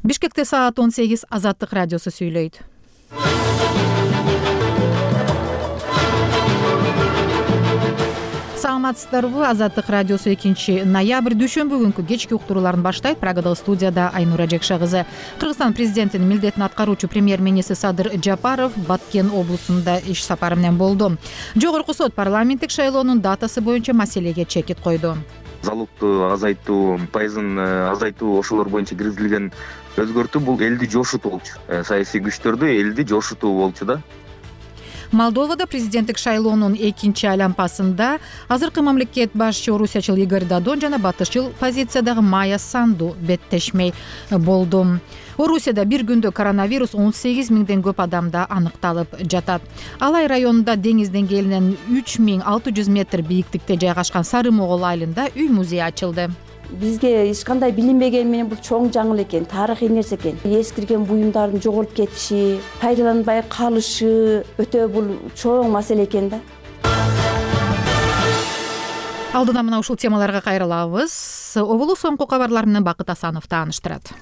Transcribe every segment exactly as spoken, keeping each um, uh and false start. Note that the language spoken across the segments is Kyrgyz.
Бишкекте саат он сегиз. Азаттык радиосу сүйлөйт. Саламатсыздарбы? Азаттык радиосу экинчи ноябрь дүйшөмбү күнкү кечки уктурууларын баштайт. Прагадагы студияда Айнура Жекша кызы. Кыргызстан президентинин милдетин аткаруучу премьер-министр Садыр Жапаров Баткен облусунда иш сапары менен болду. Жогорку сот парламенттик шайлоонун датасы боюнча маселеге чекит койду. Залогду азайтуу, пайызын азайтуу ошолор боюнча киргизилген өзгөртүү бул элди жошутуу болчу. Саясий күчтөрдү элди жошутуу болчу да. Молдовада президенттик шайлоонун экинчи айлампасында азыркы мамлекет башчы орусиячыл Игорь Додон жана батышчыл позициядагы Майя Санду беттешмей болду. Орусияда бир күндө коронавирус он сегиз миңден көп адамда аныкталып жатат. Алай районунда деңиз деңгээлинен үч миң алты жүз метр бийиктикте жайгашкан Сары Могол айылында үй музей ачылды. Бизге эч кандай билинбеген менен бул чоң жаңыл экен, тарыхый нерсе экен. Эскирген буюмдардын жоголуп кетиши, пайдаланбай калышы өтө бул чоң маселе экен да. Алдыда мына ушул темаларга кайрылабыз. Обулу соңку кабарлар менен Бакыт Асанов тааныштырат.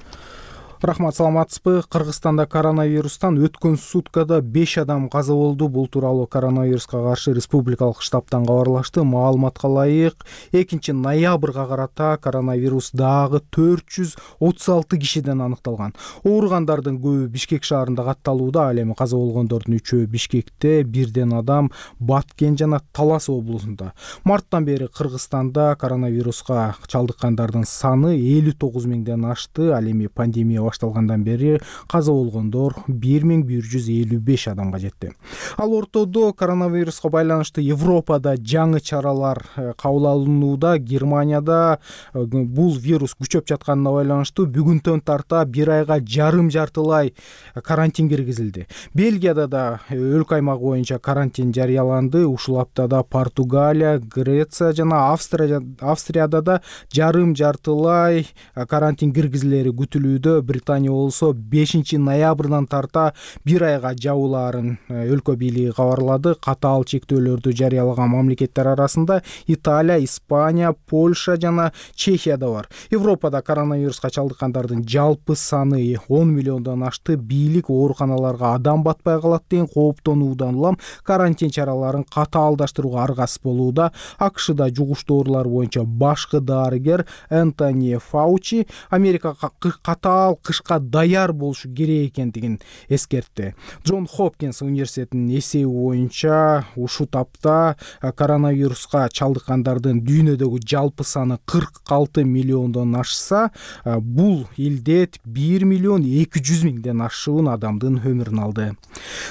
Рахмат, саламатсызбы? Кыргызстанда коронавирустан өткөн суткада беш адам каза болду. Бул тууралуу коронавируска каршы республикалык штабтан кабарлашты. Маалыматка ылайык, экинчи ноябрга карата коронавирус дагы төрт жүз отуз алты кишиден аныкталган. Ооругандардын көбү Бишкек шаарында катталууда. Ал эми каза болгондордун үчөө Бишкекте, бирден адам Баткен жана Талас облусунда. Марттан бери Кыргызстанда коронавируска чалдыккандардын саны элүү тогуз миңден ашты. Ал эми пандемия башталгандан бери каза болгондор бир миң бир жүз элүү беш адамга жетти. Ал ортодо коронавируска байланыштуу Европада жаңы чаралар кабыл алынууда. Германияда бул вирус күчөп жатканына байланыштуу бүгүнтөн тарта бир айга жарым жартылай карантин киргизилди. Бельгияда да өлкө аймагы боюнча карантин жарыяланды. Ушул аптада Португалия, Греция жана Австрия Австрияда да жарым жартылай карантин киргизилери күтүлүүдө. Британия болсо бешинчи ноябрдан тарта бир айга жабуулаарын өлкө бийлиги кабарлады. Катаал чектөөлөрдү жарыялаган мамлекеттер арасында Италия, Испания, Польша жана Чехия да бар. Европада коронавируска чалдыккандардын жалпы саны он миллиондон ашты. Бийлик ооруканаларга адам батпай калат деген кооптонуудан улам карантин чараларын катаалдаштырууга аргасыз болууда. АКШда жугуштуу оорулар боюнча башкы дарыгер Энтони Фаучи Америка катаал кышка даяр болушу керек экендигин эскертти. Джон Хопкинс университетинин эсеби боюнча ушул тапта коронавируска чалдыккандардын дүйнөдөгү жалпы саны кырк алты миллиондон ашса, бул илдет бир миллион эки жүз миңден ашуун адамдын өмүрүн алды.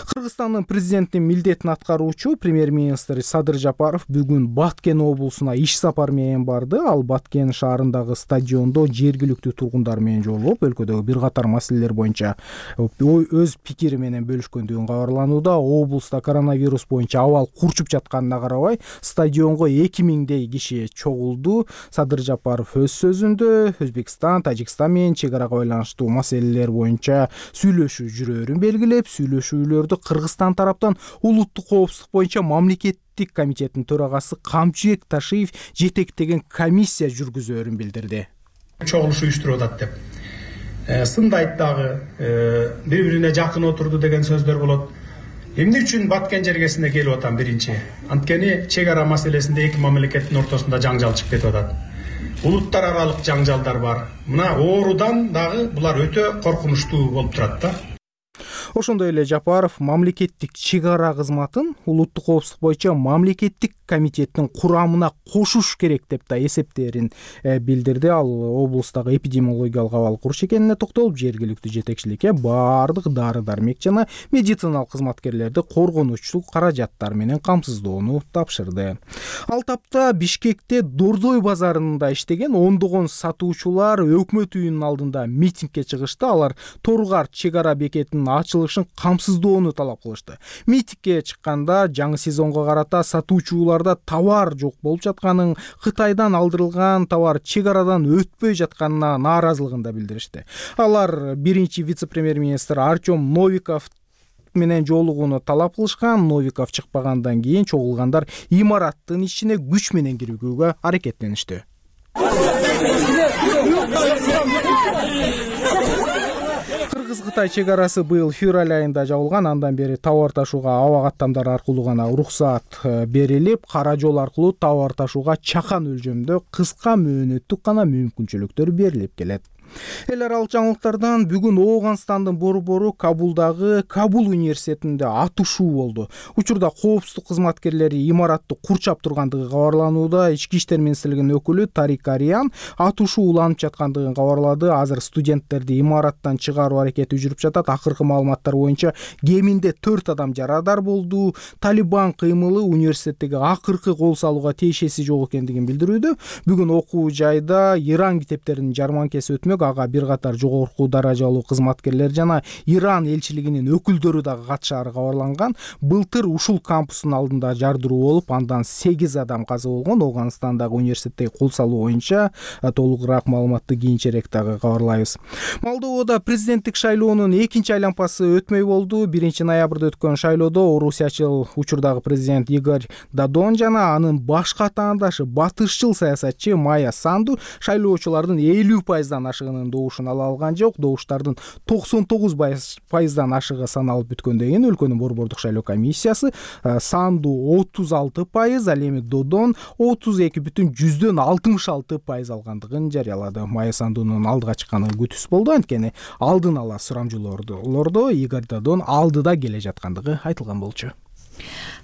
Кыргызстандын президентинин милдетин аткаруучу премьер-министр Садыр Жапаров бүгүн Баткен облусуна иш сапары менен барды. Ал Баткен шаарындагы стадиондо жергиликтүү тургундар менен жолугуп, өлкөдөгү бир катар маселелер боюнча өз пикири менен бөлүшкөндүгүн кабарланууда. Облуста коронавирус боюнча абал курчуп жатканына карабай, стадионго эки миңдей киши чогулду. Садыр Жапаров өз сөзүндө Өзбекстан, Тажикстан менен чек арага байланыштуу маселелер боюнча сүйлөшүү жүрөөрүн белгилеп, сүйлөшүүлөрдү Кыргызстан тараптан улуттук коопсуздук боюнча мамлекеттик комитеттин төрагасы Камчыбек Ташиев жетектеген комиссия жүргүзөөрүн билдирди. Чогулуш уюштуруп атат деп сындайт дагы, бири бирине жакын отурду деген сөздөр болот. Эмне үчүн Баткен жергесине келип атам биринчи? Анткени чек ара маселесинде эки мамлекеттин ортосунда жаңжал чыгып кетип атат. Улуттар аралык жаңжалдар бар. Мына оорудан дагы булар өтө коркунучтуу болуп турат да. Ошондой эле Жапаров мамлекеттик чек ара кызматын улуттук коопсуздук боюнча мамлекеттик комитеттин курамына кошуш керек деп да эсептерин билдирди. Ал облустагы эпидемиологиялык абал куруш экенине токтолуп, жергиликтүү жетекчиликке баардык дары-дармек жана медициналык кызматкерлерди коргонучсул каражаттар менен камсыздоону тапшырды. Ал тапта Бишкекте Дордой базарында иштеген ондогон сатуучулар өкмөт үйүнүн алдында митингге чыгышты. Алар Торгар чек ара бекетинин ачылышын камсыздоону талап кылышты. Митингге чыкканда жаңы сезонго карата сатуучуларда товар жок болуп жатканын, Кытайдан алдырылган товар чек арадан өтпөй жатканына нааразылыгын да билдиришти. Алар биринчи вице-премьер-министр Артем Новиков менен жолугууну талап кылышкан. Новиков чыкпагандан кийин чогулгандар имараттын ичине күч менен кирүүгө аракеттеништи. Кытай чек арасы быйыл февраль айында жабылган. Андан бери товар ташууга аба каттамдары аркылуу гана уруксаат берилип, кара жол аркылуу товар ташууга чакан өлчөмдө кыска мөөнөттүк гана мүмкүнчүлүктөр берилип келет. Эл аралык жаңылыктардан бүгүн Ооганстандын борбору Кабулдагы Кабул университетинде атышуу болду. Учурда коопсуздук кызматкерлери имаратты курчап тургандыгы кабарланууда. Ички иштер министрлигинин өкүлү Тарик Ариан атышуу уланып жаткандыгын кабарлады. Азыр студенттерди имараттан чыгаруу аракети жүрүп жатат. Акыркы маалыматтар боюнча кеминде төрт адам жарадар болду. Талибан кыймылы университеттеги акыркы кол салууга тиешеси жок экендигин билдирүүдө. Бүгүн окуу жайда Иран китептеринин жарманкеси өтмөк. Ага бир катар жогорку даражалуу кызматкерлер жана Иран элчилигинин өкүлдөрү дагы катышаары кабарланган. Былтыр ушул кампустун алдында жардыруу болуп, андан сегиз адам каза болгон. Ооганстандагы университеттеги кол салуу боюнча толугураак маалыматты кийинчерээк дагы кабарлайбыз. Молдовада президенттик шайлоонун экинчи айланпасы өтмөй болду. биринчи ноябрда өткөн шайлоодо орусиячыл учурдагы президент Игорь Дадон жана анын башка таандашы батышчыл саясатчы Майя Санду шайлоочулардын элүү пайыздан ашыгын добушун ала алган жок. Добуштардын токсон тогуз пайыздан ашыгы саналып бүткөндөн кийин өлкөнүн борбордук шайлоо комиссиясы Санду отуз алты пайыз, ал эми Додон отуз эки бүтүн жүздөн алтымыш алты пайыз алгандыгын жарыялады. Майя Сандунун алдыга чыкканы күтүс болду, анткени алдын ала сурамжылоодо Игорь Додон алдыда келе жаткандыгы айтылган болчу.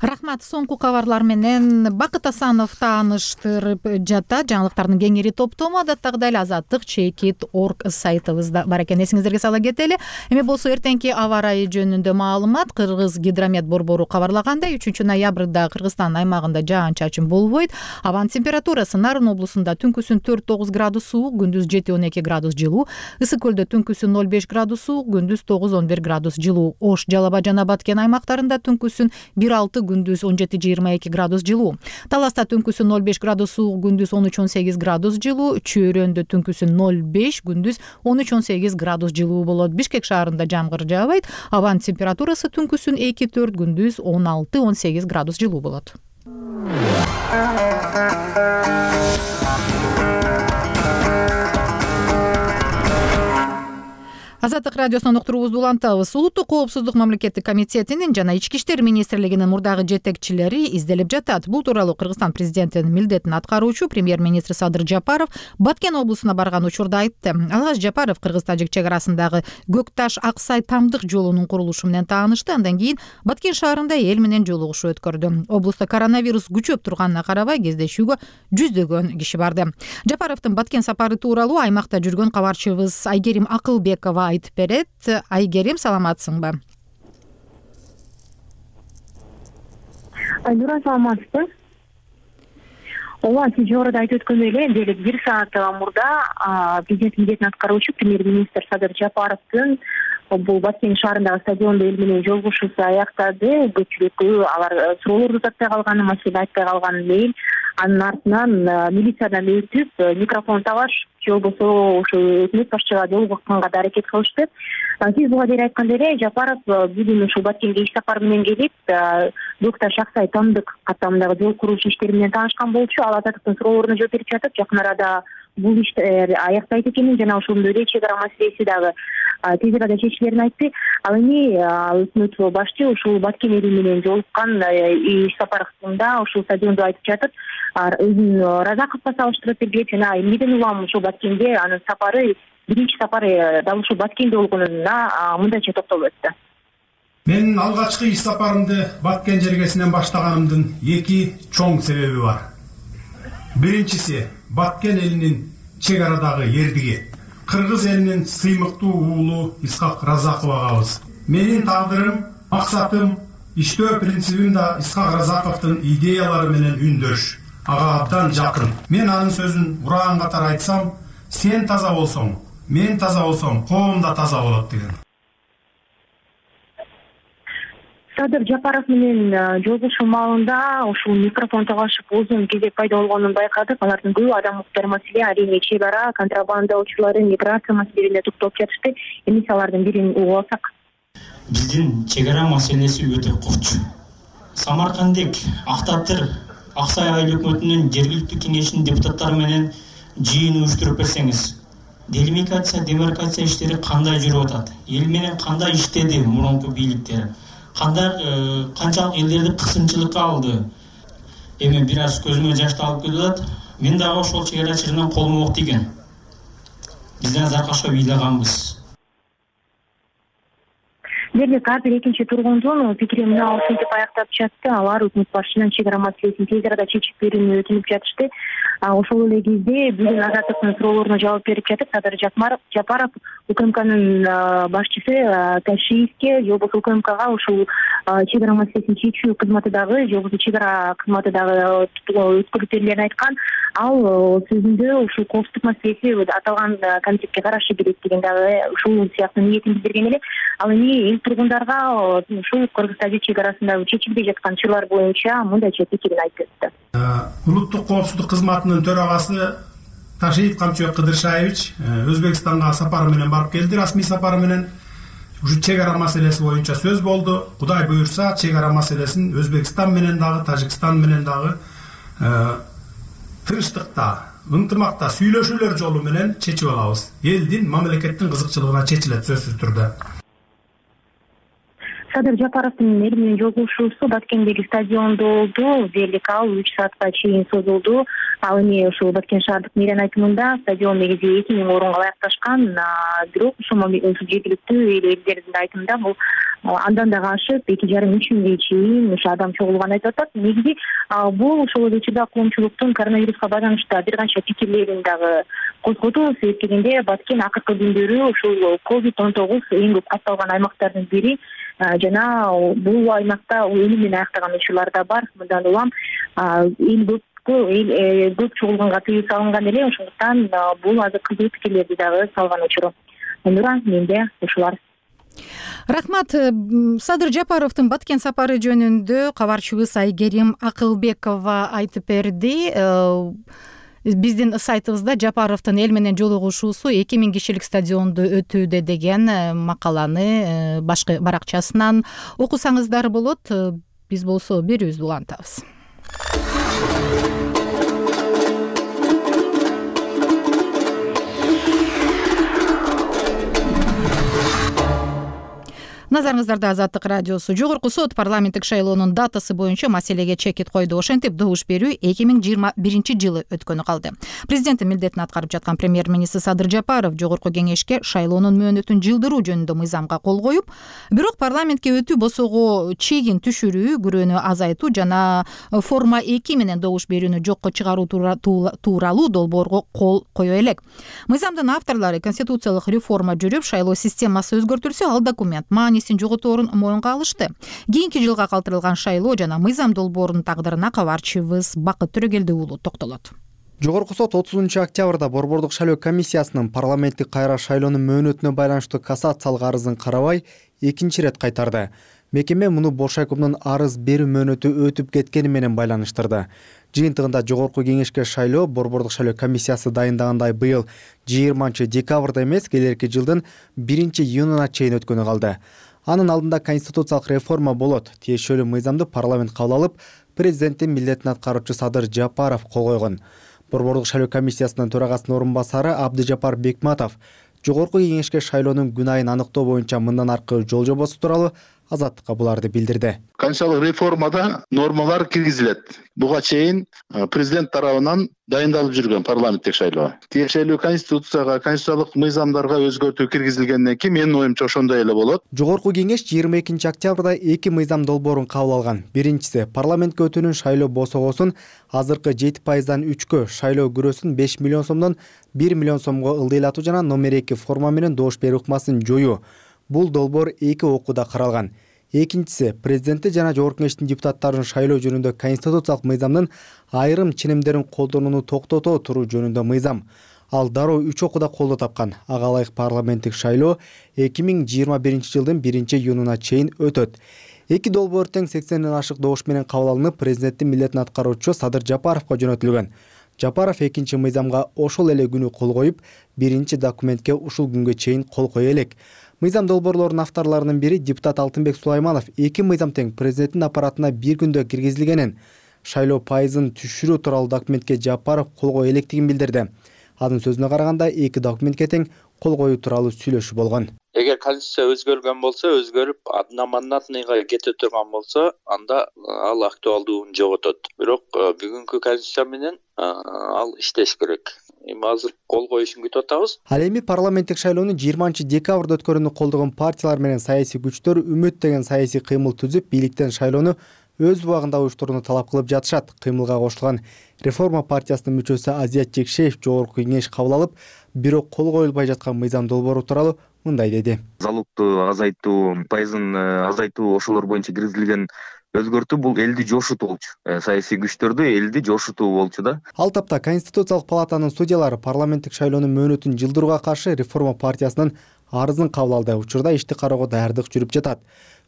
Рахмат. Соңку кабарлар менен Бакыт Асанов тааныштырып жатат. Жаңылыктардын кеңири топтому адаттагыдай эле азаттык чекит орг сайтыбызда бар экен. Эсиңиздерге сала кетели. Эми болсо эртеңки аба ырайы жөнүндө маалымат. Кыргыз гидромет борбору кабарлагандай, үчүнчү ноябрда Кыргызстан аймагында жаан-чачын болбойт. Абанын температурасы Нарын облусунда түнкүсүн төрт тогуз градус суук, күндүз жети он эки градус жылуу. Ысык көлдө түнкүсүн ноль беш градус суук, күндүз тогуз он бир градус жылуу. Ош, Жалал Абад жана Баткен аймактарында түнкүсүн бир алты, күндүз он жети жыйырма эки градус жылуу. Таласта түнкүсүн ноль беш градус суук, күндүз он үч он сегиз градус жылуу. Чөйрөндө түнкүсүн ноль беш, күндүз он үч он сегиз градус жылуу болот. Бишкек шаарында жамгыр жаабайт. Абанын температурасы түнкүсүн эки төрт, күндүз он алты он сегиз градус жылуу болот. Азаттык радиосунан уктуруубузду улантабыз. Улуттук коопсуздук мамлекеттик комитетинин жана Ички иштер министрлигинин мурдагы жетекчилери изделип жатат. Бул тууралуу Кыргызстан президентинин милдетин аткаруучу премьер-министр Садыр Жапаров Баткен облусуна барган учурда айтты. Алгач Жапаров Кыргыз-Тажик чек арасындагы Көкташ Аксай Тамдык жолунун курулушу менен таанышты. Андан кийин Баткен шаарында эл менен жолугушуу өткөрдү. Облусту коронавирус күчөп турганына карабай кездешүүгө жүздөгөн киши барды. Жапаровдун Баткен сапары тууралуу аймакта жүргөн кабарчыбыз Айгерим Акылбекова айтып берет. Айгерим, саламатсыңбы? Айнура, саламатсызбы? Ооба, сиз жогоруда айтып өткөндөй эле, дээрлик бир саат мурда президент милдетин аткаруучу премьер-министр Садыр Жапаровдун бул Баткен шаарындагы стадиондо эл менен жолугушуусу аяктады. Көпчүлүккө алар суроолорду uzatпай калганы, маселе айтпай калганын эл анын артынан милициядан өтүп микрофон табаш же болбосо ушу өкмөт башчыга жолугушканга да аракет кылышты. Сиз буга дейин айткандай эле, Жапаров бүгүн ушул Баткенге иш сапары менен келип, Көкташ Аксай Тамдык каттамындагы жол курулушу иштери менен таанышкан болчу. Ал азаттыктын суроолоруна жооп берип жатып, жакын арада бул иштер аяктайт экенин жана ошондой эле чек ара маселеси дагы тез арада чечилерин айтты. Ал эми өкмөт башчы ушул Баткен эли менен жолуккан иш сапарында ушул стадиондо айтып жатып, өзүн Разаковго салыштырып берди жана эмнеден улам ушул Баткенге анын сапары, биринчи сапары дал ушул Баткенде болгонуна мындайча токтолуп өттү. Мен алгачкы иш сапарымды Баткен жергесинен баштаганымдын эки чоң себеби бар. Биринчиси Баткен элинин чек арадагы эрдиги, кыргыз элинин сыймыктуу уулу Исхак Разаковагабыз. Менин тагдырым, максатым, иштөө принцибим да Исхак Разаковдун идеялары менен үндөш, ага абдан жакын. Мен анын сөзүн ураган катары айтсам, сен таза болсоң, мен таза болсом, коом да таза болот деген. Садыр Жапаров менен жолугушуу маалында ушул микрофон талашып узун кезек пайда болгонун байкадык. Алардын көбү адам укуктар маселе, арийне чек ара, контрабанда учурлары, миграция маселелерине токтолуп жатышты. Эми алардын бирин угуп алсак. Биздин чек ара маселеси өтө курч. Самаркандык, Актатыр, Аксай айыл өкмөтүнүн жергиликтүү кеңешинин депутаттары менен жыйын уюштуруп берсеңиз, делимитация демаркация иштери кандай жүрүп атат, эл менен кандай иштеди мурунку бийликтер, кандай канчалык элдерди кысымчылыкка алды. Эми бир аз көзүмө жашты алып келип атат. Мен дагы ошол чек ара чырынан колум ок тийген. Бизден заркашка ыйлаганбыз. Дерлик ар бир экинчи тургундун пикири мына ушинтип аяктап жатты. Алар өкмөт башчысынан чек ара маселесин тез арада чечип берүүнү өтүнүп жатышты. Ошол эле кезде бүгүн Азаттыктын суроолоруна жооп берип жатып, Садыр Жапаров УКМКнын башчысы Ташиевке же болбосо УКМКга ушул чек ара маселесин чечүү кызматы дагы, же болбосо чек ара кызматы дагы өткөрүлүп берилерин айткан. Ал сөзүндө ушул коопсуздук маселеси аталган комитетке карашы келет деген дагы ушул сыяктуу ниетин билдирген эле. Ал эми эл тургундарга ушул Кыргыз-Тажик чек арасында чечилбей жаткан чырлар боюнча мындайча пикирин айтып өттү. Улуттук коопсуздук кызматынын төрагасы Ташиев Камчыбек Кыдыршаевич Өзбекстанга сапары менен барып келди. Расмий сапары менен ушу чек ара маселеси боюнча сөз болду. Кудай буюрса, чек ара маселесин Өзбекстан менен дагы, Тажикстан менен дагы тынчтыкта, ынтымакта сүйлөшүүлөр жолу менен чечип алабыз. Элдин, мамлекеттин кызыкчылыгына чечилет сөзсүз түрдө. Садыр Жапаровдун эл менен жолугушуусу Баткендеги стадиондо болду. Дерлик ал үч саатка чейин созулду. Ал эми ушул Баткен шаардык мэриянын айтымында стадион негизи эки миң орунга ылайыкташкан, бирок ушул жергиликтүү элдердин айтымында бул андан дагы ашып эки жарым үч миңге чейин ошо адам чогулганын айтып атат. Негизи бул ошол эле учурда коомчулуктун коронавируска байланыштуу бир канча пикирлерин дагы козгоду. Себеп дегенде Баткен акыркы күндөрү ушул ковид он тогуз эң көп катталган аймактардын бири жана бул аймакта өлүм менен аяктаган учурлар да бар. Мындан улам эл көп эл көп чогулганга тыюу салынган эле, ошондуктан бул азыр кызуу пикирлерди дагы салган учуру. Нура, менде ушулар. Рахмат. Садыр Жапаровдун Баткен сапары жөнүндө кабарчыбыз Айгерим Акылбекова айтып берди. Биздин сайтыбызда Жапаровдун эл менен жолугушуусу эки миң кишилик стадиондо өтүүдө деген макаланы башкы баракчасынан окусаңыздар болот. Биз болсо берүүбүздү улантабыз. Назарыңыздарда Азаттык радиосу. Жогорку сот парламенттик шайлоонун датасы боюнча маселеге чекит койду. Ошентип добуш берүү эки миң жыйырма биринчи жылы өткөнү калды. Президенттин милдетин аткарып жаткан премьер-министр Садыр Жапаров жогорку кеңешке шайлоонун мөөнөтүн жылдыруу жөнүндө мыйзамга кол коюп, бирок парламентке өтүү босого чегин түшүрүү, күрөөнү азайтуу жана форма эки менен добуш берүүнү жокко чыгаруу тууралуу долбоорго кол кое элек. Мыйзамдын авторлору конституциялык реформа жүрүп, шайлоо системасы өзгөртүлсө, ал документ маанисин жоготорун моюнга алышты. Кийинки жылга калтырылган шайлоо жана мыйзам долбоорунун тагдырына кабарчыбыз Бакыт Төрөгелди уулу токтолот. Жогорку сот отузунчу октябрда Борбордук шайлоо комиссиясынын парламенттик кайра шайлоонун мөөнөтүнө байланыштуу кассациялык арызын карабай экинчи ирет кайтарды. Мекеме муну Боршайкомдун арыз берүү мөөнөтү өтүп кеткени менен байланыштырды. Жыйынтыгында жогорку кеңешке шайлоо Борбордук шайлоо комиссиясы дайындагандай быйыл жыйырманчы декабрда эмес, келерки жылдын биринчи июнуна чейин өткөнү калды. Анын алдында конституциялык реформа болот. Тиешелүү мыйзамды парламент кабыл алып, президенттин милдетин аткаруучу Садыр Жапаров кол койгон. Борбордук шайлоо комиссиясынын төрагасынын орун басары Абдыжапар Бекматов жогорку кеңешке шайлоонун күнайын аныктоо боюнча мындан аркы жол жобосу тууралуу Азаттыкка буларды билдирди. Конституциялык реформада нормалар киргизилет. Буга чейин президент тарабынан дайындалып жүргөн парламенттик шайлоо. Тиешелүү конституцияга, конституциялык мыйзамдарга өзгөртүү киргизилгенден кийин менин оюмча ошондой эле болот. Жогорку кеңеш жыйырма экинчи октябрда эки мыйзам долбоорун кабыл алган. Биринчиси парламентке өтүүнүн шайлоо босогосун азыркы жети пайыздан үчкө, шайлоо күрөөсүн беш миллион сомдон бир миллион сомго ылдыйлатуу жана номер эки форма менен добуш берүү ыкмасын жоюу. Бул долбоор эки окууда каралган. Экинчиси президенти жана жогорку кеңештин депутаттарын шайлоо жөнүндө конституциялык мыйзамдын айрым ченемдерин колдонууну токтото туруу жөнүндө мыйзам. Ал дароо үч окууда колдоо тапкан. Ага ылайык парламенттик шайлоо эки миң жыйырма биринчи жылдын биринчи июнуна чейин өтөт. Эки долбоор тең сексенден ашык добуш менен кабыл алынып, президенттин милдетин аткаруучу Садыр Жапаровго жөнөтүлгөн. Жапаров экинчи мыйзамга ошол эле күнү кол коюп, биринчи документке ушул күнгө чейин кол кое элек. Мыйзам долбоорлорунун авторлорунун бири депутат Алтынбек Сулайманов эки мыйзам тең президенттин аппаратына бир күндө киргизилгенин, шайлоо пайызын түшүрүү тууралуу документке Жапаров кол кое электигин билдирди. Анын сөзүнө караганда эки документке тең кол коюу тууралуу сүйлөшүү болгон. Эгер конституция өзгөргөн болсо, өзгөрүп одномандатныйга кете турган болсо, анда ал актуалдуулугун жоготот. Бирок бүгүнкү конституция менен ал иштеш керек. Эми азыр кол коюшун күтүп атабыз. Ал эми парламенттик шайлоонун жыйырманчы декабрда өткөрүүнү колдогон партиялар менен саясий күчтөр үмүт деген саясий кыймыл түзүп, бийликтен шайлоону өз убагында уюштурууну талап кылып жатышат. Кыймылга кошулган Реформа партиясынын мүчөсү Азият Жекшеев жогорку кеңеш кабыл алып, бирок кол коюлбай жаткан мыйзам долбоору тууралуу мындай деди. Залогду азайтуу, пайызын азайтуу, ошолор боюнча киргизилген өзгөртүү бул элди жошутуу болчу. Саясий күчтөрдү элди жошутуу болчу да. Ал тапта Конституциялык палатанын судьялары парламенттик шайлоонун мөөнөтүн жылдырууга каршы Реформа партиясынын арызын кабыл алды. Учурда ишти кароого даярдык жүрүп жатат.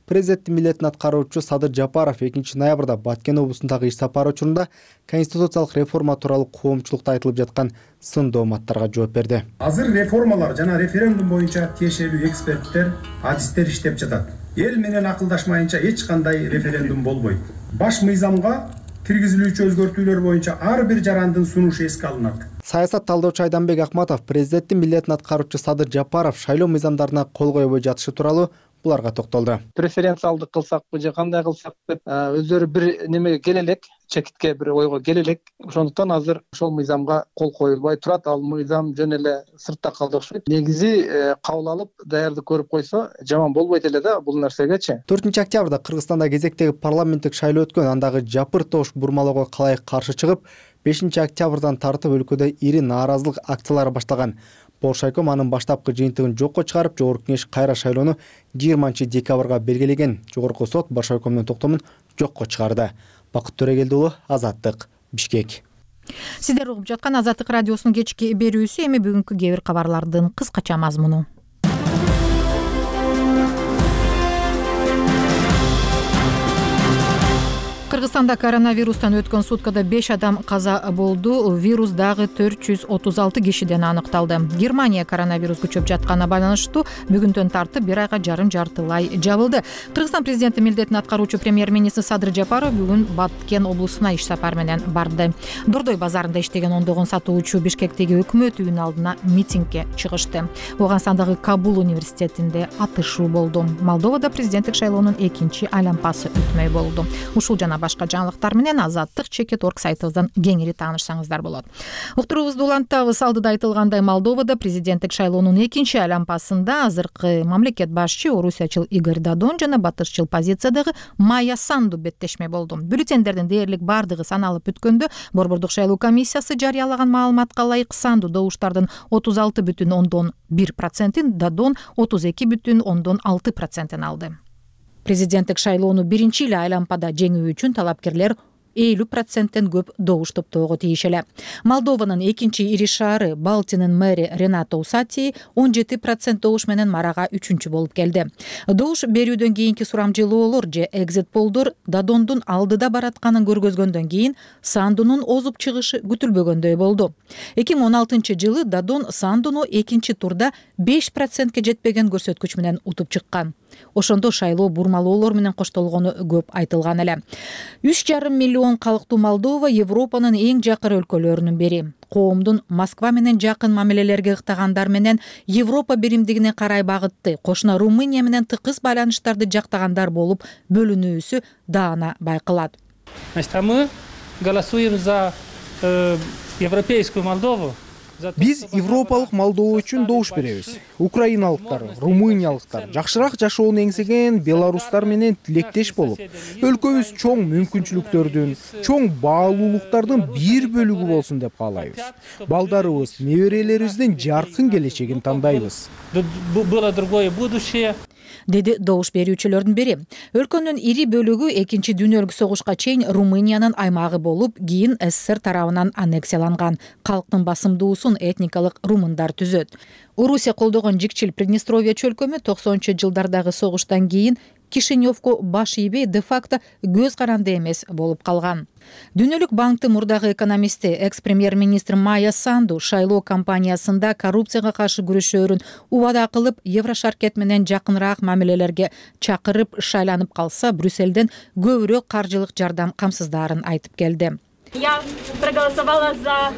Президенттин милдетин аткаруучу Садыр Жапаров экинчи ноябрда Баткен облусундагы иш сапары учурунда конституциялык реформа тууралуу коомчулукта айтылып жаткан сын дооматтарга жооп берди. Азыр реформалар жана референдум боюнча тиешелүү эксперттер, адистер иштеп жатат. Эл менен акылдашмайынча эч кандай референдум болбойт. Баш мыйзамга киргизилүүчү өзгөртүүлөр боюнча ар бир жарандын сунушу эске алынат. Саясат талдоочу Айданбек Акматов президенттин милдетин аткаруучу Садыр Жапаров шайлоо мыйзамдарына кол койбой жатышы тууралуу буларга токтолду. Преференциалдык кылсакпы же кандай кылсак деп өздөрү бир немеге келе элек, чекитке бир ойго келе элек. Ошондуктан азыр ошол мыйзамга кол коюлбай турат. Ал мыйзам жөн эле сыртта калды окшойт. Негизи кабыл алып, даярдык көрүп койсо жаман болбойт эле да бул нерсегечи. төртүнчү октябрда Кыргызстанда кезектеги парламенттик шайлоо өткөн. Андагы жапыр тош бурмалоого калайык каршы чыгып, бешинчи октябрдан тартып өлкөдө ири нааразылык акциялары башталган. Болшайком анын баштапкы жыйынтыгын жокко чыгарып, жогорку кеңеш кайра шайлоону жыйырманчы декабрга белгилеген. Жогорку сот Боршайкомдун токтомун жокко чыгарды. Бакыт Төрегелди уулу, Азаттык, Бишкек. Сиздер угуп жаткан Азаттык радиосунун кечки берүүсү. Эми бүгүнкү кээ бир кабарлардын кыскача мазмуну. Кыргызстанда коронавирустан өткөн суткада беш адам каза болду. Вирус дагы төрт жүз отуз алты кишиден аныкталды. Германия коронавирус күчөп жатканына байланыштуу бүгүндөн тартып бир айга жарым жартылай жабылды. Кыргызстан президенти милдетин аткаруучу премьер-министр Садыр Жапаров бүгүн Баткен облусуна иш сапар менен барды. Дордой базарында иштеген ондогон сатуучу Бишкектеги өкмөт үйүнүн алдына митингге чыгышты. Ооганстандагы Кабул университетинде атышуу болду. Молдовада президенттик шайлоонун экинчи айлампасы өтмөй болду. Ушул жана башка жаңылыктар менен Азаттык чекит орг сайтыбыздан кеңири таанышсаңыздар болот. Уктуруубузду улантабыз. Алдыда айтылгандай, Молдовада президенттик шайлоонун экинчи айлампасында азыркы мамлекет башчы орусиячыл Игорь Дадон жана батышчыл позициядагы Майя Санду беттешме болду. Бюллетендердин дээрлик бардыгы саналып бүткөндө Борбордук шайлоо комиссиясы жарыялаган маалыматка ылайык Санду добуштардын отуз алты бүтүн ондон бир процентин, Дадон отуз эки бүтүн ондон алты процентин алды. Президенттик шайлоону биринчи эле айлампада жеңүү үчүн талапкерлер элүү проценттен көп добуш топтоого тийиш эле. Молдованын экинчи ири шаары Балтинин мэри Ренато Усати он жети процент добуш менен марага үчүнчү болуп келди. Добуш берүүдөн кийинки сурамжылоолор же экзит полдор Дадондун алдыда баратканын көргөзгөндөн кийин Сандунун озуп чыгышы күтүлбөгөндөй болду. эки миң он алтынчы жылы Дадон Сандуну экинчи турда беш процентке жетпеген көрсөткүч менен утуп чыккан. Ошондо шайлоо бурмалоолор менен коштолгону көп айтылган эле. үч жарым миллион калктуу Молдова Европанын эң жакыр өлкөлөрүнүн бири. Коомдун Москва менен жакын мамилелерге ыктагандар менен Европа биримдигине карай багытты, кошуна Румыния менен тыкыз байланыштарды жактагандар болуп бөлүнүүсү даана байкалат. Значит, а мы голосуем за э, европейскую Молдову. Биз европалык Молдова үчүн добуш беребиз. Украиналыктар, румыниялыктар жакшыраак жашоону эңсеген белорустар менен тилектеш болуп, өлкөбүз чоң мүмкүнчүлүктөрдүн, чоң баалуулуктардын бир бөлүгү болсун деп каалайбыз. Балдарыбыз, неберелерибиздин жаркын келечегин тандайбыз. Было другое будущее. Деди добуш берүүчүлөрдүн бири. Өлкөнүн ири бөлүгү экинчи дүйнөлүк согушка чейин Румыниянын аймагы болуп, кийин СССР тарабынан аннексияланган. Калктын басымдуусун этникалык румындар түзөт. Орусия колдогон жикчил Приднестровье чөлкөмү токсонунчу жылдардагы согуштан кийин Кишиневко баш ийбей де-факто көз каранды эмес болуп калган. Дүйнөлүк банктын мурдагы экономисти, экс-премьер-министр Майя Санду шайлоо кампаниясында коррупцияга каршы күрөшөөрүн убада кылып, Еврошаркет менен жакыныраак мамилелерге чакырып шайланып калса, Брюссельден көбүрөөк каржылык жардам камсыздаарын айтып келди. Я проголосовала за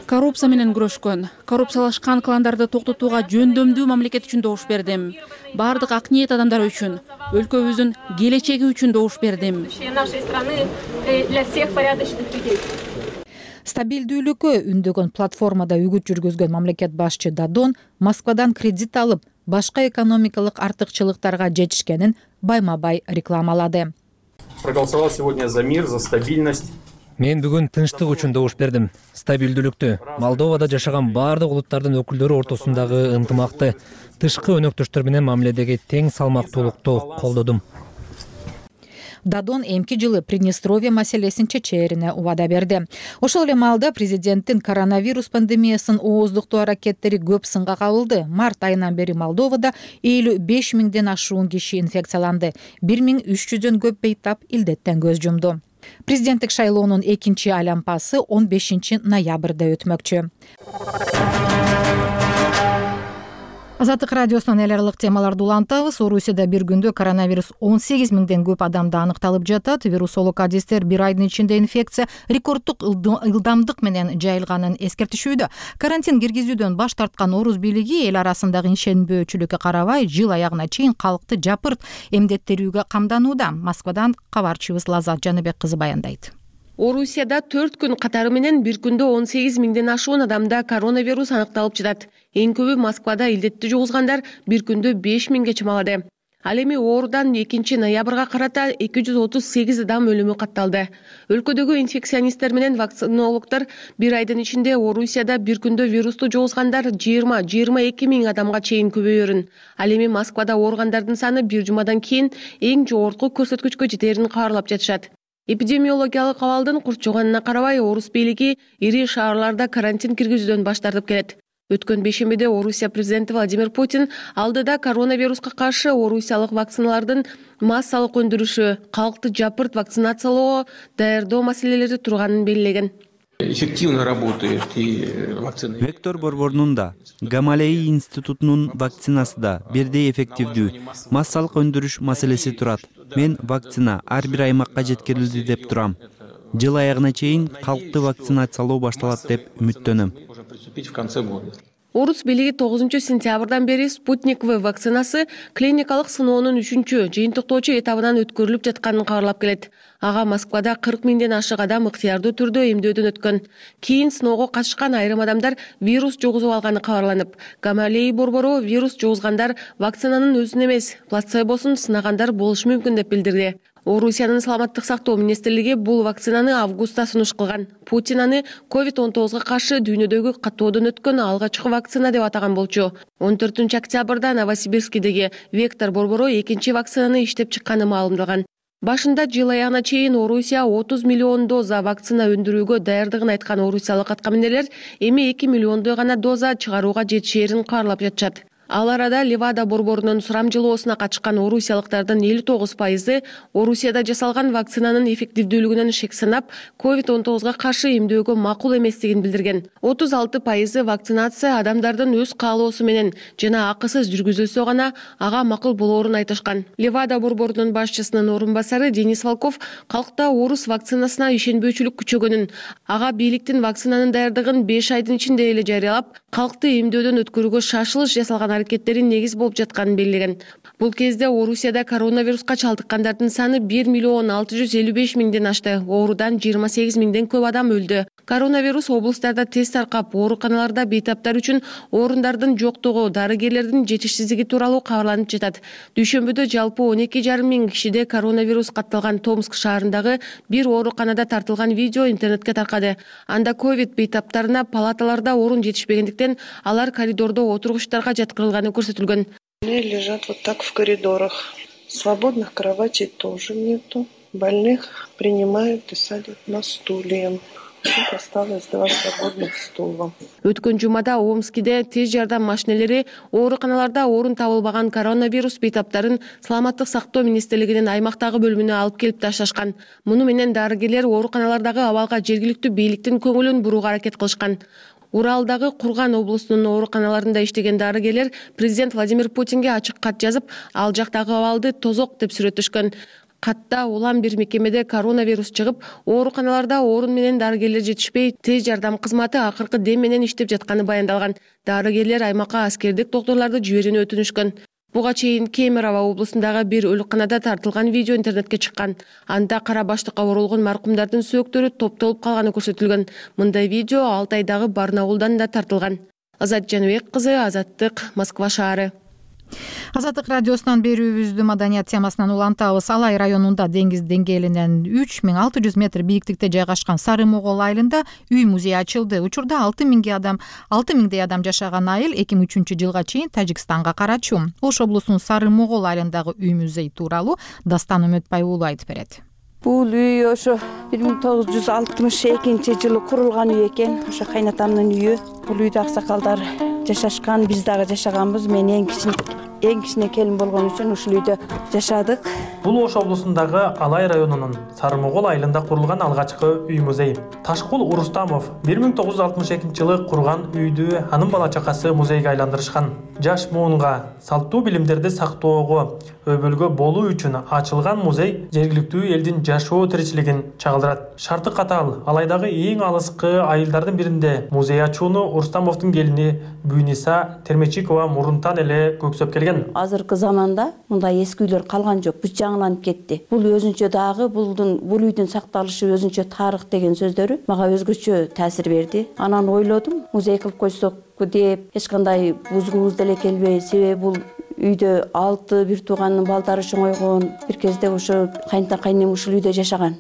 коррупция менен күрөшкөн, коррупциялашкан кландарды токтотууга жөндөмдүү мамлекет үчүн добуш бердим. Бардык ак ниет адамдар үчүн, өлкөбүздүн келечеги үчүн добуш бердим. нашей страны для всех порядочных людей. Стабилдүүлүккө үндөгөн платформада үгүт жүргүзгөн мамлекет башчы Дадон Москвадан кредит алып, башка экономикалык артыкчылыктарга жетишкенин байма-бай рекламалады. Проголосовал сегодня за мир, за стабильность. Мен бүгүн тынчтык үчүн добуш бердим. Стабилдүүлүктү, Молдовада жашаган бардык улуттардын өкүлдөрү ортосундагы ынтымакты, тышкы өнөктөштөр менен мамиледеги тең салмактуулукту колдодум. Дадон эмки жылы Приднестровье маселесин чечээрине убада берди. Ошол эле маалда президенттин коронавирус пандемиясын ооздуктоо аракеттери көп сынга кабылды. Март айынан бери Молдовада элүү беш миңден ашуун киши инфекцияланды. бир миң үч жүздөн көп бейтап илдеттен көз жумду. Президенттик шайлоонун экинчи айлампасы он бешинчи ноябрда өтмөкчү. Азаттык радиосунан эл аралык темаларды улантабыз. Орусияда бир күндө коронавирус он сегиз миңден көп адамда аныкталып жатат. Вирусолог адистер бир айдын ичинде инфекция рекорддук ылдамдык менен жайылганын эскертишүүдө. Карантин киргизүүдөн баш тарткан Орус бийлиги эл арасындагы ишенбөөчүлүккө карабай жыл аягына чейин калкты жапырт эмдеттерүүгө камданууда. Москвадан кабарчыбыз Лазат Жаныбек кызы баяндайт. Орусияда төрт күн катары менен бир күндө он сегиз миңден ашуун адамда коронавирус аныкталып жатат. Эң көбү Москвада илдетти жугузгандар бир күндө беш миңге чамалады. Ал эми оорудан экинчи ноябрга карата эки жүз отуз сегиз адам өлүмү катталды. Өлкөдөгү инфекционисттер менен вакцинологдор бир айдын ичинде Орусияда бир күндө вирусту жугузгандар жыйырма жыйырма эки миң адамга чейин көбөйөрүн. Ал эми Москвада ооругандардын саны бир жумадан кийин эң жогорку көрсөткүчкө жетерин каарлап жатышат. Эпидемиологиялык абалдын курчуганына карабай, Орус бийлиги ири шаарларда карантин киргизүүдөн баш тартып келет. Өткөн бейшембиде Орусия президенти Владимир Путин алдыда коронавируска каршы орусиялык вакциналардын массалык өндүрүшү, калкты жапырт вакцинациялоого даярдоо маселелери турганын белгилеген. Эффективно работает и вакцина. Вектор борборунун да, Гамалеи институтунун вакцинасы да бирдей эффективдүү. Массалык өндүрүш маселеси турат. Мен вакцина ар бир аймакка жеткирилди деп турам. Жыл аягына чейин калкты вакцинациялоо башталат деп үмүттөнөм. Орус бийлиги тогузунчу сентябрдан бери Спутник В вакцинасы клиникалык сыноонун үчүнчү жыйынтыктоочу этабынан өткөрүлүп жатканын кабарлап келет. Ага Москвада кырк миңден ашык адам ыктыярдуу түрдө эмдөөдөн өткөн. Кийин сыноого катышкан айрым адамдар вирус жугузуп алганы кабарланып, Гамалеи борбору вирус жугузгандар вакцинанын өзүн эмес, плацебосун сынагандар болушу мүмкүн деп билдирди. Орусиянын саламаттык сактоо министрлиги бул вакцинаны августта сунуш кылган. Путин аны ковид он тогузга каршы дүйнөдөгү каттоодон өткөн алгачкы вакцина деп атаган болчу. он төртүнчү октябрда Новосибирскидеги Вектор борбору экинчи вакцинаны иштеп чыкканы маалымдалган. Башында жыл аягына чейин Орусия отуз миллион доза вакцина өндүрүүгө даярдыгын айткан орусиялык аткаминерлер эми эки миллиондой гана доза чыгарууга жетишээрин каарлап жатышат. Ал арада Левада борборунун сурамжылоосуна катышкан орусиялыктардын элүү тогуз пайызы Орусияда жасалган вакцинанын эффективдүүлүгүнөн шек санап, ковид он тогузга каршы эмдөөгө макул эместигин билдирген. отуз алты пайызы вакцинация адамдардын өз каалоосу менен жана акысыз жүргүзүлсө гана ага макул болоорун айтышкан. Левада борборунун башчысынын орун басары Денис Волков калкта орус вакцинасына ишенбөөчүлүк күчөгөнүн, ага бийликтин вакцинанын даярдыгын беш айдын ичинде эле жарыялап, калкты эмдөөдөн өткөрүүгө шашылыш жасалган аракеттерин негиз болуп жатканын белгилеген. Бул кезде Орусияда коронавируска чалдыккандардын саны бир миллион алты жүз элүү беш миңден ашты. Оорудан жыйырма сегиз миңден көп адам өлдү. Коронавирус облустарда тез таркап, ооруканаларда бейтаптар үчүн орундардын жоктугу, дарыгерлердин жетишсиздиги тууралуу кабарланып жатат. Дүйшөмбүдө жалпы он эки жарым миң кишиде коронавирус катталган Томск шаарындагы бир ооруканада тартылган видео интернетке таркады. Анда ковид бейтаптарына палаталарда орун жетишпегендиктен алар коридордо отургучтарга жаткырылганы көрсөтүлгөн. Они лежат вот так в коридорах. Свободных кроватей тоже нету. Больных принимают и садят на стулья. Тут осталось два свободных стула. Өткөн жумада Омскиде тез жардам машинелери ооруканаларда орун табылбаган коронавирус бейтаптарын саламаттык сактоо министрлигинин аймактагы бөлүмүнө алып келип ташташкан. Муну менен дарыгерлер ооруканалардагы абалга жергиликтүү бийликтин көңүлүн бурууга аракет кылышкан. Уралдагы Курган облусунун ооруканаларында иштеген дарыгерлер президент Владимир Путинге ачык кат жазып, ал жактагы абалды тозок деп сүрөттөшкөн. катта улам бир мекемеде коронавирус чыгып, ооруканаларда орун менен дарыгерлер жетишпей, тез жардам кызматы акыркы дем менен иштеп жатканы баяндалган. Дарыгерлер аймакка аскердик доктурларды жиберүүнү өтүнүшкөн. Буга чейин Кемерово облусундагы бир өлканада тартылган видео интернетке чыккан. Анда кара баштыкка оролгон маркумдардын сөөктөрү топтолуп калганы көрсөтүлгөн. Мындай видео Алтай айдагы Барнаулдан да тартылган. Азат Жаныбек кызы, Азаттык, Москва шаары. Азаттык радиосунан берүүбүздү маданият темасынан улантабыз. Алай районунда деңиз деңгээлинен үч миң алты жүз метр бийиктикте жайгашкан Сары Могол айылында үй музей ачылды. Учурда алты миңге адам, алты миңдей адам жашаган айыл эки миң үчүнчү жылга чейин Тажикстанга карачу. Ош облусунун Сары Могол айылындагы үй музей тууралуу Дастан Үмөтбай уулу айтып берет. Бул үй ошо бир миң тогуз жүз алтымыш экинчи жылы курулган үй экен. Ошо кайнатамдын үйү. Бул үйдө аксакалдар жашашкан, биз дагы жашаганбыз. Мен эң кичине эң кичине келин болгон үчүн ушул үйдө жашадык. Бул Ош облусундагы Алай районунун Сары Могол айылында курулган алгачкы үй музей. Ташкул Урустамов бир миң тогуз жүз алтымыш экинчи жылы курган үйдү анын бала чакасы музейге айландырышкан. Жаш муунга салттуу билимдерди сактоого өбөлгө болуу үчүн ачылган музей жергиликтүү элдин жашоо тиричилигин чагылдырат. Шарты катаал Алайдагы эң алыскы айылдардын биринде музей ачууну Урустамовдун келини Буйниса Термечикова мурунтан эле көксөп келген. Азыркы заманда мындай эски үйлөр калган жок. Бүт жаңыланып кетти. Бул өзүнчө дагы булдун бул үйдүн сакталышы өзүнчө тарых деген сөздөрү мага өзгөчө таасир берди. Анан ойлодум, музей кылып койсок деп, эч кандай бузгубуз деле келбей, себеби бул үйдө алты бир тууганын балдары чоңойгон. Бир кезде ошо кайнта кайнем ушул үйдө жашаган.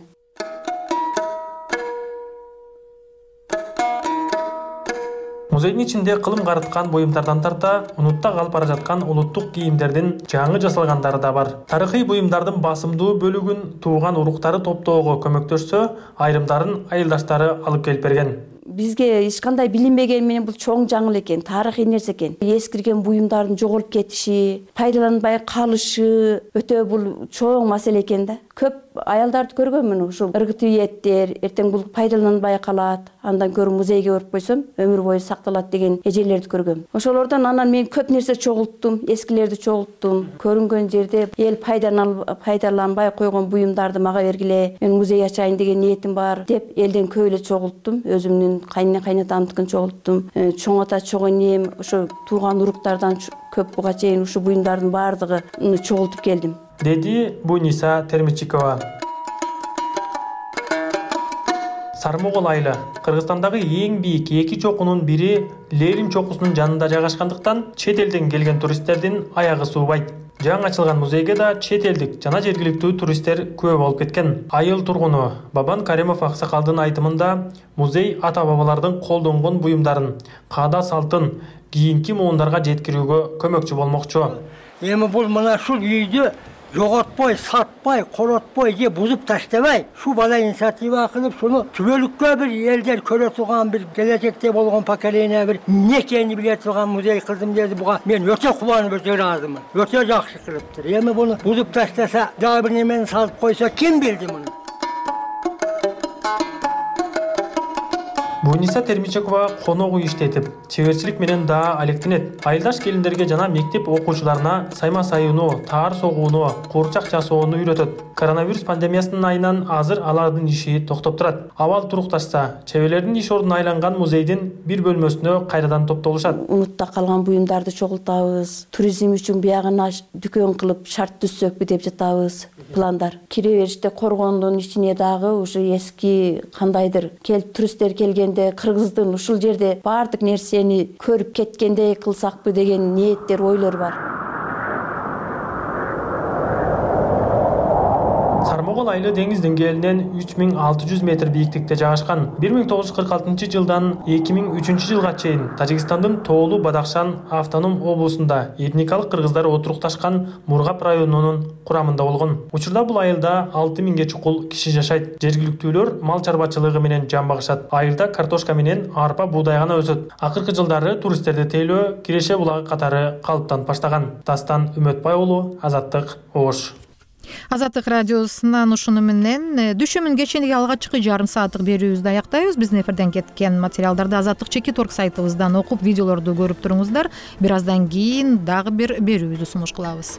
Музейдин ичинде кылым карыткан буюмдардан тарта унутта калып бара жаткан улуттук кийимдердин жаңы жасалгандары да бар. Тарыхый буюмдардын басымдуу бөлүгүн тууган уруктары топтоого көмөктөшсө, айрымдарын айылдаштары алып келип берген. Бизге эч кандай билинбеген менен бул чоң жаңыл экен, тарыхый нерсе экен. Эскирген буюмдардын жоголуп кетиши, пайдаланбай калышы өтө бул чоң маселе экен да. Көп аялдарды көргөнмүн, ушул ыргытыеттер, эртең бул пайдаланбай калат, андан көрү музейге барып койсом, өмүр бою сакталат деген эжелерди көргөм. Ошолордон анан мен көп нерсе чогулттум, эскилерди чогулттум. Көрүнгөн жерде эл пайдаланбай койгон буюмдарды мага бергиле, мен музей ачайын деген ниетим бар деп элден көп эле чогулттум. Өзүмдүн кайнына кайнатамдыкын чогулттум. Чоң ата, чоң энем, ошо тууган уруктардан көп буга чейин ушу буюмдардын баардыгын чогултуп келдим. Деди Буйниса Термечикова. Сары Могол айылы Кыргызстандагы эң бийик эки чокунун бири Лерим чокусунун жанында жайгашкандыктан чет элден келген туристтердин аягы суубайт. Жаңы ачылган музейге да чет элдик жана жергиликтүү туристтер көп болуп кеткен. Айыл тургуну Бабан Каримов аксакалдын айтымында музей ата-бабалардын колдонгон буюмдарын, каада салтын кийинки муундарга жеткирүүгө көмөкчү болмокчу. Эми бул мына ушул үйдү жоготпой, сатпай, коротпой же бузуп таштабай, шу бала инициатива кылып, шуну түбөлүккө бир элдер көрө турган, бир келечекте болгон поколение бир эмне экенин биле турган музей кылдым деди. Буга мен өтө кубанып, өтө ыраазымын. Өтө жакшы кылыптыр. Эми буну бузуп таштаса, дагы бир немени салып койсо, ким билди муну? Буйниса Термечикова конок үй иштетип, чеберчилик менен да алектенет. Айылдаш келиндерге жана мектеп окуучуларына сайма сайууну, таар согууну, куурчак жасоону үйрөтөт. Коронавирус пандемиясынын айынан азыр алардын иши токтоп турат. Абал турукташса, чеберлердин иш ордуна айланган музейдин бир бөлмөсүнө кайрадан топтолушат. Унутта калган буюмдарды чогултабыз. Туризм үчүн биягына дүкөн кылып шарт түзсөкпү деп жатабыз. Пландар. Кире бериште коргондун ичине дагы ушу эски кандайдыр кел туристтер келгенде кыргыздын ушул жерде баардык нерсени көрүп кеткендей кылсакпы деген ниеттер, ойлор бар. Сары Могол айылы деңиз деңгээлинен үч миң алты жүз метр бийиктикте жайгашкан. бир миң тогуз жүз кырк алтынчы жылдан эки миң үчүнчү жылга чейин Тажикстандын Тоолу Бадахшан автоном облусунда этникалык кыргыздар отурукташкан Мургап районунун курамында болгон. Учурда бул айылда алты миңге чукул киши жашайт. Жергиликтүүлөр мал чарбачылыгы менен жан багышат. Айылда картошка менен арпа, буудай гана өсөт. Акыркы жылдары туристтерди тейлөө Киреше булагы катары калыптанып баштаган. Дастан Үмөтбай уулу, Азаттык, Ош. Азаттык радиосунан ушуну менен düşүмүн кечендеги алгачкы жарым сааттык берүүбүздү аяктайбыз. Биздин эфирден кеткен материалдарды Азаттык чекит орг сайтыбыздан окуп, видеолорду көрүп туруңуздар. Бир аздан кийин дагы бир берүүбүздү сунуш кылабыз.